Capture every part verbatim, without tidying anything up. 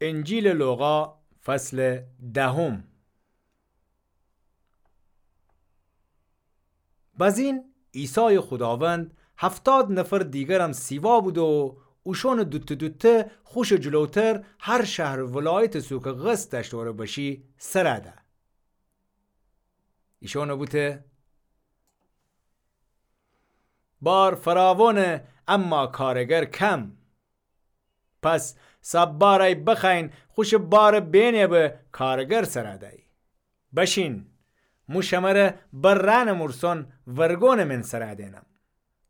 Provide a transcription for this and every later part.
انجیلٚ لوقا، فصلٚ دهم. بزین عیسایٚ خوداوند هفتاد نفرٚ دیگرم سیوا بوده و اوشأنٚ دوته دوته خوشٚ جلوتر هر شهر و ولایتٚ سو کی قصد دأشت اوره بشی سر ده. ایشأنه بوته: بار فراوانه، اما کارگر کم. پس صبارأی بخوأیین خوشٚ بارٚ بینه به کارگر سر دهی. بشین، مو شمره بر رأنٚ مورسون ورگونٚ من سر دینم.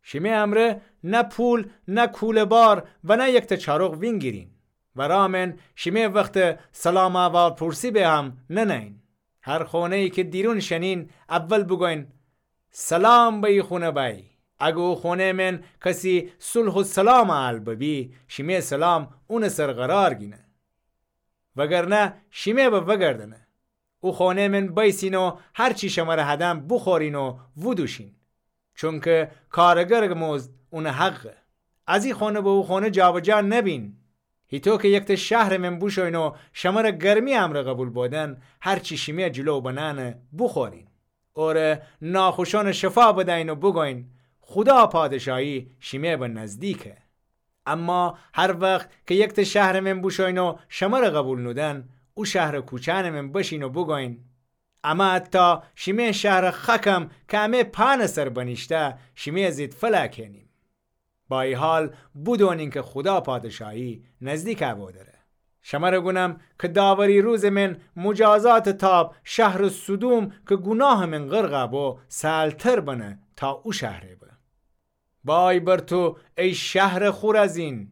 شیمه امرأ نه پول، نه کوله‌بار و نه یکته چاروق وینگیرین. و رأ من شیمه وختٚ سلام احوالپرسی به هم ننهیین. هر خونه‌یی کی دیرون شنین، اول بوگوین: سلام به ای خونه بأی. اگر او خونه‌یٚ من کسی صلح و سلام اهل ببی، شیمه سلام اونٚ سر قرار گینه. وگرنه شیمه به وگردنه. او خونه‌یٚ من بیسین و هر چی شمره هدم بوخورین و ودوشین. چونکی کارگرٚ مزد اونٚ حقه. از ای خونه به او خونه جابجا نبین. هیطو کی یکته شهرٚ من بوشوین و شمره گرمی امرأ قبول بودن، هر چی شیمه جلو بنأنه بوخورین. اوره ناخوشأنٚ شفا بدأیین و بوگوین: خودا پادشاهی شیمه به نزدیکه. اما هر وخت کی یکته شهرٚ من بوشوین و شمره قبول نودن، او شهرٚ کوچأنٚ من بشین و بوگوین: امه حتی شیمه شهرٚ خکم کی امه پأنٚ سر بنیشته، شیمه زید فلأ کئنیم. با ای حال بودونین کی خودا پادشاهی نزدیک ابو دره. شمره گونم کی داوری روزٚ من مجازاتٚ تاب شهرٚ سدوم کی گوناهٚ من غرق ابو سهلتر بنه تا او شهره به. وای بر تو ای شهرٚ خورزین!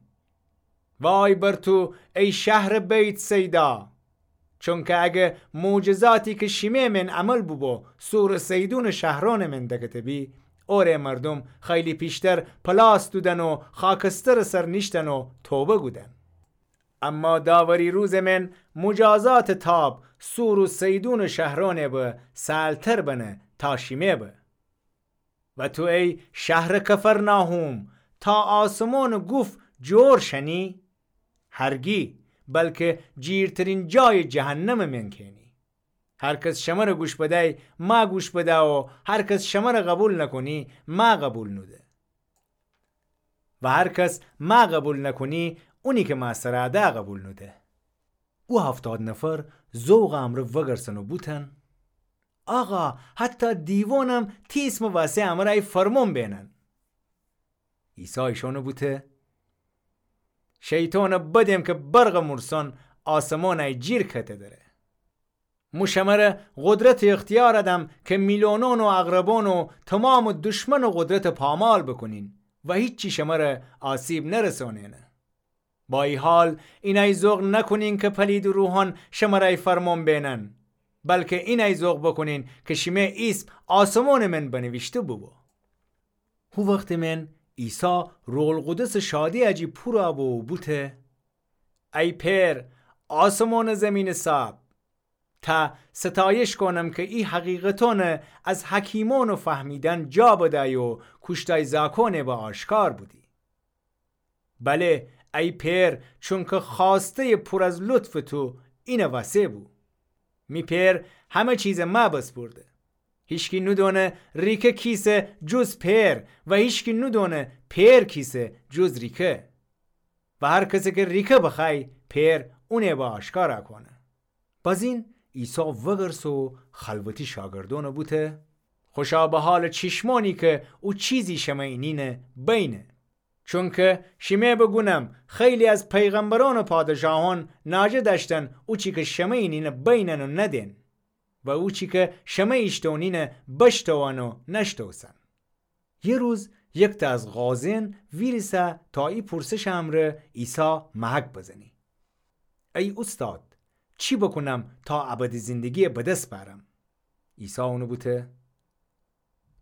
وای بر تو ای شهرٚ بیت‌صیدا! چونکی اگر معجزاتی کی شیمه من عمل بوبو صورٚ صیدونٚ شهرأنٚ من دکته بی، اوره مردوم خیلی پیشتر پلاس دودن و خاکسترٚ سر نیشتن و توبه گودن. اما داوری روزٚ من مجازاتٚ تاب صور و صیدونٚ شهرأنٚ به سهلتر بنه تا شیمه به. و تو ای شهرٚ کفرناحوم، تا آسمانٚ گوف جور شنی؟ هرگی، بلکی جیرترین جایٚ جهنمٚ من کئنی. هر کس شمره گوش بدی، ما گوش بده و هر کس شمره قبول نکونی، ما قبول نوده. و هر کس ما قبول نکونی، اونی کی ما سر ده قبول نوده. او هفتاد نفر ذوقٚ امرأ وگرسن و بوتن: آقا، حتی دیوانم تی ایسمٚ وسه امرأ ای فرمون بینن. عیسی ایشانه بوته: شیطانٚ بدم کی برقٚ مورسون آسمانٚ ای جیر کته دره. مو شمره قدرت و اختیار دم کی میلونون و عقربون و تومامٚ دشمنٚ قدرت پامال بکونین و هیچی شمره آسیب نرسونینه. با ای حال، اینی ذوق نکونین کی پلیدٚ روحان شمره ای فرمون بینن، بلکی اینی ذوق بکونین کی شیمه ایسم آسمونٚ من بنویشته بوبو. هو وختٚ من عیسی روح‌القدسٚ شادی جی پور بو و بوته: ای پئر، آسمون و زیمینٚ صاحب، تا ستایش کونم کی ای حقیقتون از حکیمون فهمیدن جا بدی و کوشتای زاکون به آشکار بودی. بله، ای پئر، چونکی خواسته پور از لطفٚ تو اینه وسه بو. می پئر همه چیز مه بسپرده. هیچکی نودونه ریکه کیسه جز پئر و هیچکی نودونه پئر کیسه جز ریکه. و هر کسی کی ریکه بخوای، پئر اونه به آشکار کونه. بزین عیسی وگرسه و خلوتی شاگردون بوته: خوشا به حالٚ چیشمانی کی او چیزی شمه اینینه بینه. چونکی شیمه بوگونم، خیلی از پیغمبرون و پادشاهون ناجه دأشتن اوچی کی شمه اینینه بینن و ندین، و اوچی کی شمه ایشتونینه بشتون و نشتوسن. یه روز یکته از قاضین ویریسه تا ای پرسشٚ امرأ عیسی محک بزنی: ای اوستاد، چی بکونم تا ابدی زندگی به دس بأرم؟ عیسی اونه بوته: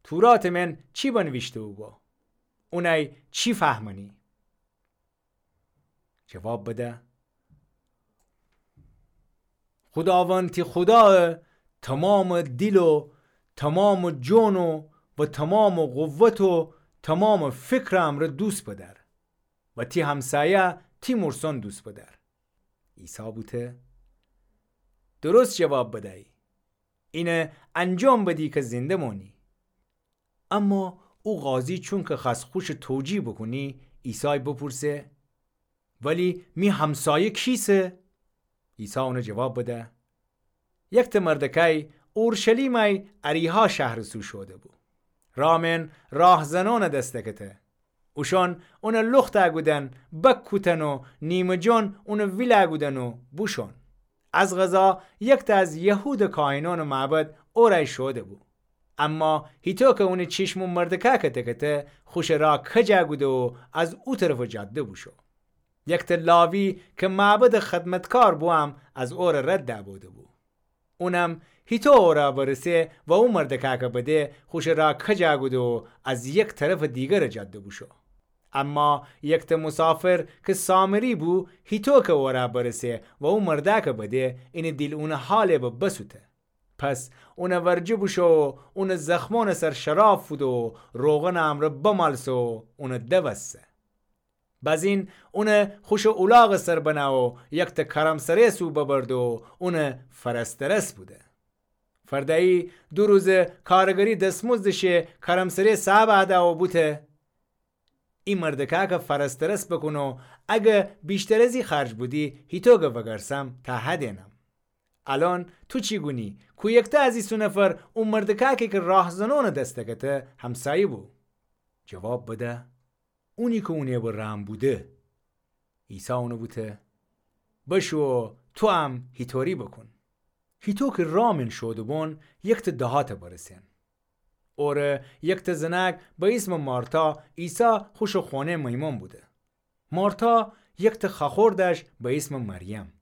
توراتٚ من چی بنویشته بوبو؟ اونی چی فهمنی؟ جواب بده: خوداوند تی خودا تومامٚ دیل و تومامٚ جون و تومامٚ قوت و تومامٚ فکرٚ امرأ دوست بدأر و تی همسایه تی مورسون دوست بدأر. عیسی بوته: درست جواب بدی. اینه انجام بدی که زنده مانی. اما او قاضی چونکه خأست خوشه توجیه بوکونه، عیسای بپرسه: ولی می همسایه کیسه؟ عیسی اونه جواب بده: یکته مردکای اورشلیمای اریحا شهرٚ سو شوده‌بو. رامین راهزنأنٚ دستکته. اوشأن اونه لختَ کودن، بکوتن و نیمه‌جان اونه ویلَ کودن و بوشوئن. از قضا یکته از یهودٚ کاهنأنٚ معبد اورأی شوده‌بو. اما هیطو که اونٚ چشم او مردکأکَ دکته، خوشٚ را کجَ کوده و از او طرفٚ جاده بوشو. یکته لاوی که معبدٚ خدمتکار بو هم از اورَ رد دبوده‌بو. اونم هیطو اورَ برسه و او مردکأکَ بده، خوشٚ را کجَ کوده و از یک طرفٚ دیگرٚ جاده بوشو. اما یکته مسافر که سامری بو، هیطو که اورَ برسه و او مردأکَ بده، اینٚ دیل اونٚ حالٚ به بسوته. پس اونٚ ورجه بوشو و اونٚ زخمأنٚ سر شراب فودو و روغنٚ امرأ بمالسه و اونٚ دوسته. بزین اونَ خوشٚ اولاغٚ سر بنه و یکته کرمسره‌یٚ سو ببرده و اونٚ فرسترس بوده. فرده‌یی دو روزٚ کارگری دسمزدٚ شه کرمسره‌یٚ صاحبَ ده و بوته: ای مردکأکَ فرسترس بوکون و اگر ویشتر از ای خرج بودی، هیطو که وگرسم تا هدینم. الأن تو چی گونی؟ کویکته از ایسو نفر او مردکأکی که راهزنأنٚ دستکته همسایه بو؟ جواب بده: اونی که اونٚ به رحم بوده. عیسی اونَ بوته: بشو و تو هم هیطوری بوکون. هیطو که رامین شوده‌بون، یکته دهاتَ برسین. اوره یکته زنأک به ایسمٚ مارتا عیسی خوشٚ خونه میمون بوده. مارتا یکته خوأخور دأشت به ایسمٚ مریم.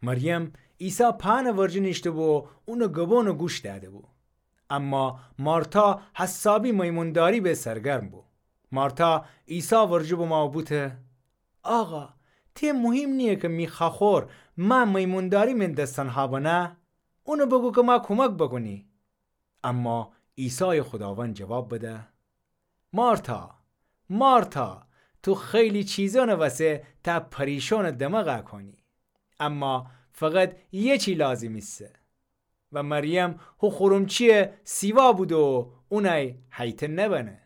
مریم عیسی پهنٚ ورجه نیشته‌بو و اونٚ گبونَ گوش دأده‌بو. اما مارتا حسابی میمونداری به سرگرم بو. مارتا عیسی ورجه بمو و بوته: آقا، ته مهم نییه که می خوأخور مه میمونداری مین دستأن هابنه؟ اونَ بوگو که مه کومک بوکونی. اما عیسایٚ خوداوند جواب بده: مارتا، مارتا، تو خیلی چیزأنٚ وسه تا پریشأنٚ دماغَ کونی. اما فقط یه چی لازم ایسه. و مریم هو خورمچی‌یَ سیوا بوده و اونَی هیته نبنه.